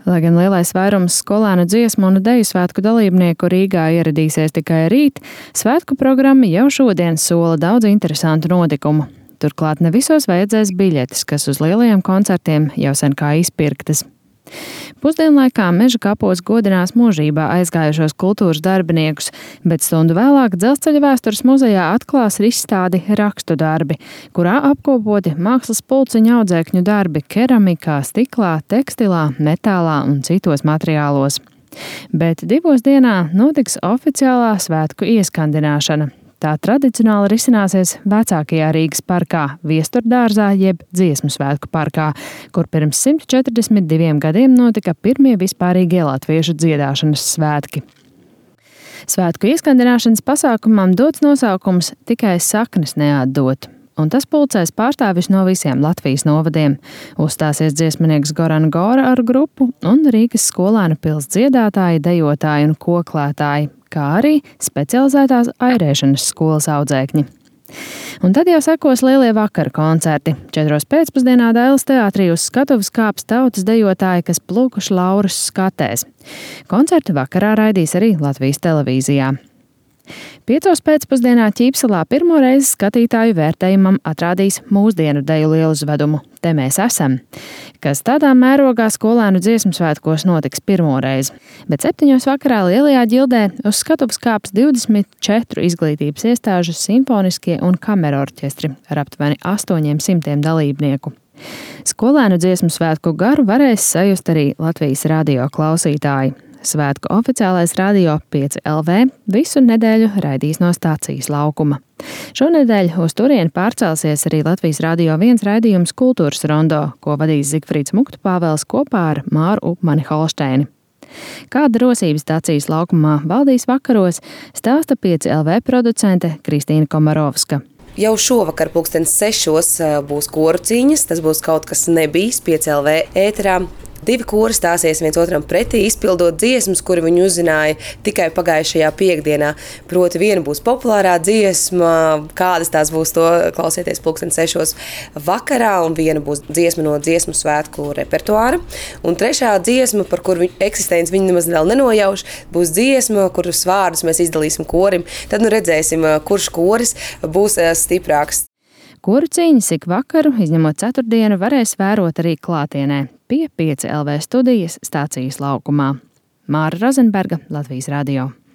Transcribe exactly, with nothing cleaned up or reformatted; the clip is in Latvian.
Lai gan lielais vairums skolēnu dziesmu un deju svētku dalībnieku Rīgā ieradīsies tikai rīt, svētku programma jau šodien sola daudz interesantu notikumu. Turklāt ne visos vajadzēs biļetes, kas uz lielajiem koncertiem jau sen kā izpirktas. Pusdienlaikā Meža kapos godinās mūžībā aizgājušos kultūras darbiniekus, bet stundu vēlāk Dzelzceļa vēstures muzejā atklās izstādi Rakstu darbi, kurā apkopoti mākslas pulciņu audzēkņu darbi keramikā, stiklā, tekstilā, metālā un citos materiālos. Bet divos dienā notiks oficiālā svētku ieskandināšana. Tā tradicionāli risināsies vecākajā Rīgas parkā, Viesturdārzā jeb Dziesmu svētku parkā, kur pirms simt četrdesmit diviem gadiem notika pirmie vispārīgie latviešu dziedāšanas svētki. Svētku ieskandināšanas pasākumam dots nosaukums Tikai saknes neatdot, un tas pulcēs pārstāvis no visiem Latvijas novadiem. Uzstāsies dziesminieks Goran Gora ar grupu un Rīgas skolēnu pils dziedātāji, dejotāji un koklētāji, kā arī specializētās airēšanas skolas audzēkņi. Un tad jau sekos lielie vakara koncerti. Četros pēcpusdienā Dailes teātrī uz skatuves kāps tautas dejotāji, kas plūkuši Lauras skatēs. Koncertu vakarā raidīs arī Latvijas televīzijā. Piecos pēcpusdienā Ķīpsalā pirmo reizi skatītāju vērtējumam atrādīs mūsdienu deju lieluzvedumu Te mēs esam, kas tādā mērogā skolēnu dziesmu svētkos notiks pirmo reizi. Bet septiņos vakarā lielajā ģildē uz skatuves kāps divdesmit četru izglītības iestāžu simfoniskie un kamerorķestri ar aptuveni astoņiem simtiem dalībnieku. Skolēnu dziesmu svētku garu varēs sajust arī Latvijas radio klausītāji. Svētku oficiālais radio pieci L V visu nedēļu raidīs no stācijas laukuma. Šonedēļ uz turieni pārcelsies arī Latvijas Radio viens raidījums Kultūras rondo, ko vadīs Zigfrīds Muktupāvels kopā ar Māru Upmani Holšteini. Kāda rosība stācijas laukumā valdīs vakaros, stāsta pieci L V producente Kristīna Komarovska. Jau šovakar pulkstens sešos būs koru cīņas, tas būs kaut kas nebijis pieci L V ēterā. Divi kori stāsies viens otram pretī, izpildot dziesmas, kuri viņi uzzināja tikai pagājušajā piekdienā. Proti, viena būs populārā dziesma, kādas tās būs, to klausieties pulksten sešos vakarā, un viena būs dziesma no dziesmu svētku repertuāra. Un trešā dziesma, par kuru eksistenci viņi nemaz vēl nenojauš, būs dziesma, kuras vārdus mēs izdalīsim korim. Tad nu redzēsim, kurš koris būs stiprāks. Koru cīņas ik vakaru, izņemot ceturtdienu, varēs vērot arī klātienē pie pieci L V studijas stācijas laukumā. Māra Rozenberga, Latvijas radio.